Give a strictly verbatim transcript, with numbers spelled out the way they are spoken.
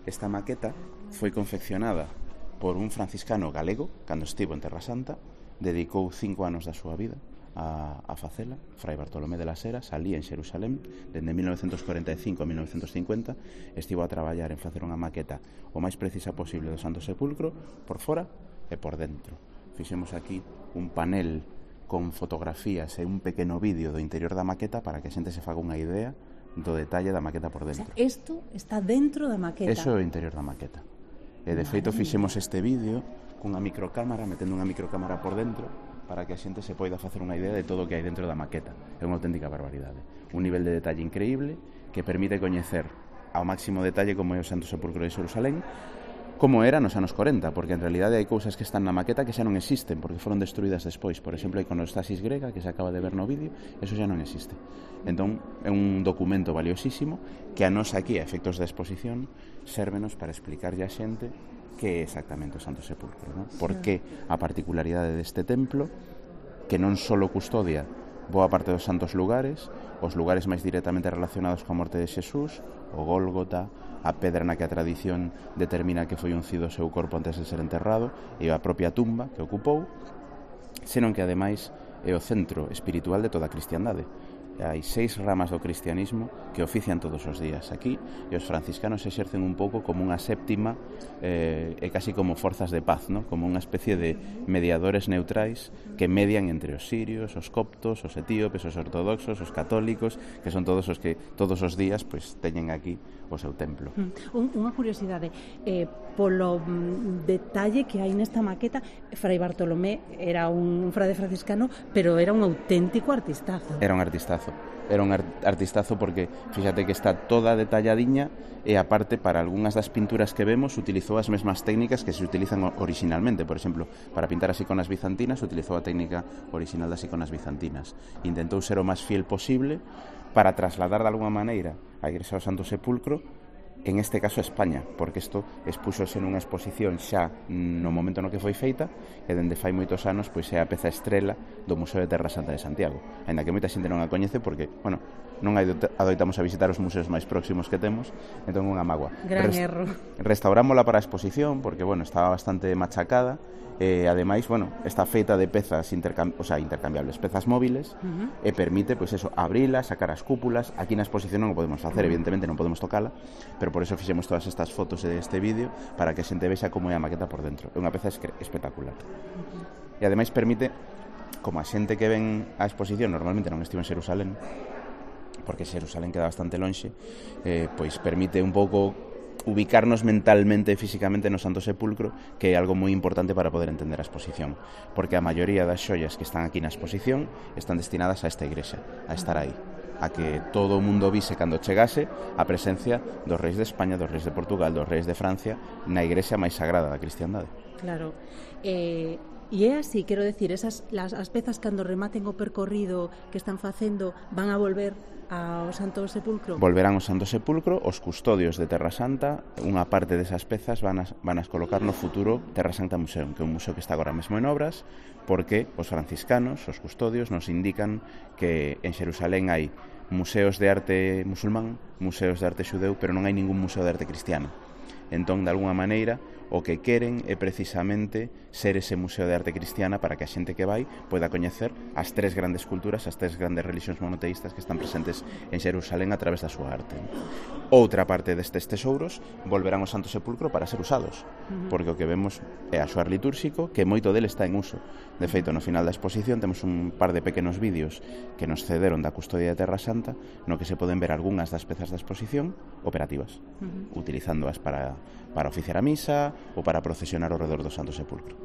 esta maqueta foi confeccionada por un franciscano galego cando estivo en Terra Santa, dedicou cinco anos da súa vida a, a facela, Fray Bartolomé de las Heras, alí en Xerusalén, dende mil novecentos cuarenta e cinco a mil novecentos cincuenta, estivo a traballar en facer unha maqueta o máis precisa posible do Santo Sepulcro, por fora e por dentro. Fixemos aquí un panel con fotografías e un pequeno vídeo do interior da maqueta para que a xente se faga unha idea do detalle da maqueta por dentro. O sea, isto está dentro da maqueta. Eso é o interior da maqueta. E de feito fixemos este vídeo cunha microcámara, metendo unha microcámara por dentro para que a xente se poida facer unha idea de todo o que hai dentro da maqueta. É unha auténtica barbaridade. Un nivel de detalle increíble que permite coñecer ao máximo detalle como é o Santo Sepulcro de Xerusalén, como era nos anos corenta, porque en realidade hai cousas que están na maqueta que xa non existen, porque foron destruídas despois. Por exemplo, a iconostasis grega, que se acaba de ver no vídeo, eso xa non existe. Entón, é un documento valiosísimo que a nos aquí, a efectos de exposición, sérvenos para explicarlle a xente que é exactamente o Santo Sepulcro, non? Por que a particularidade deste templo, que non só custodia boa parte dos santos lugares, os lugares máis directamente relacionados coa morte de Xesús, o Gólgota, a pedra na que a tradición determina que foi uncido o seu corpo antes de ser enterrado, e a propia tumba que ocupou, senón que ademais é o centro espiritual de toda a cristiandade. Hai seis ramas do cristianismo que ofician todos os días aquí, e os franciscanos exercen un pouco como unha séptima eh, e casi como forzas de paz, ¿no? Como unha especie de mediadores neutrais que median entre os sirios, os coptos, os etíopes, os ortodoxos, os católicos, que son todos os que todos os días pues, teñen aquí o seu templo. Un, unha curiosidade, eh, polo mm, detalle que hai nesta maqueta, Fray Bartolomé era un frade franciscano, pero era un auténtico artistazo. Era un artistazo. Era un artistazo porque fíxate que está toda detalladiña e aparte para algunhas das pinturas que vemos utilizou as mesmas técnicas que se utilizan originalmente. Por exemplo, para pintar as iconas bizantinas utilizou a técnica original das iconas bizantinas. Intentou ser o máis fiel posible para trasladar de alguma maneira a Igrexa do Santo Sepulcro, en este caso España, porque isto expúxose nunha exposición xa no momento no que foi feita, e dende fai moitos anos pois é a peza estrela do Museo de Terra Santa de Santiago, aínda que moita xente non a coñece porque, bueno, non adoitamos a visitar os museos máis próximos que temos, entón unha mágoa. Gran Rest erro. Restaurámola para a exposición porque, bueno, estaba bastante machacada. E, ademais, bueno, está feita de pezas intercam o sea, intercambiables, pezas móviles, uh-huh. e permite, pois pues eso, abrila, sacar as cúpulas. Aquí na exposición non o podemos facer, uh-huh. evidentemente non podemos tocala, pero por eso fixemos todas estas fotos deste vídeo para que a xente vexa como é a maqueta por dentro. É unha peza espectacular. Uh-huh. E ademais permite, como a xente que ven a exposición normalmente non estivo en Xerusalén, porque Xerusalén queda bastante lonxe, eh, pois permite un pouco ubicarnos mentalmente e físicamente no Santo Sepulcro, que é algo moi importante para poder entender a exposición, porque a maioría das xoias que están aquí na exposición están destinadas a esta igrexa, a estar aí, a que todo o mundo vise cando chegase a presencia dos reis de España, dos reis de Portugal, dos reis de Francia na igrexa máis sagrada da cristiandade. Claro. Eh... E é así, quero decir, esas las, as pezas cando rematen o percorrido que están facendo van a volver ao Santo Sepulcro? Volverán ao Santo Sepulcro, os custodios de Terra Santa, unha parte desas pezas van a, van a colocar no futuro Terra Santa Museum, que é un museo que está agora mesmo en obras, porque os franciscanos, os custodios, nos indican que en Xerusalén hai museos de arte musulmán, museos de arte xudeu, pero non hai ningún museo de arte cristiana. Entón, de alguna maneira, o que queren é precisamente ser ese museo de arte cristiana para que a xente que vai poida coñecer as tres grandes culturas, as tres grandes religións monoteístas que están presentes en Xerusalén a través da súa arte. Outra parte destes tesouros volverán ao Santo Sepulcro para ser usados, porque o que vemos é a xoar litúrxico, que moito dele está en uso. De feito, no final da exposición temos un par de pequenos vídeos que nos cederon da custodia de Terra Santa, no que se poden ver algunhas das pezas da exposición operativas, uh-huh. utilizándoas para, para oficiar a misa ou para procesionar ao redor do Santo Sepulcro.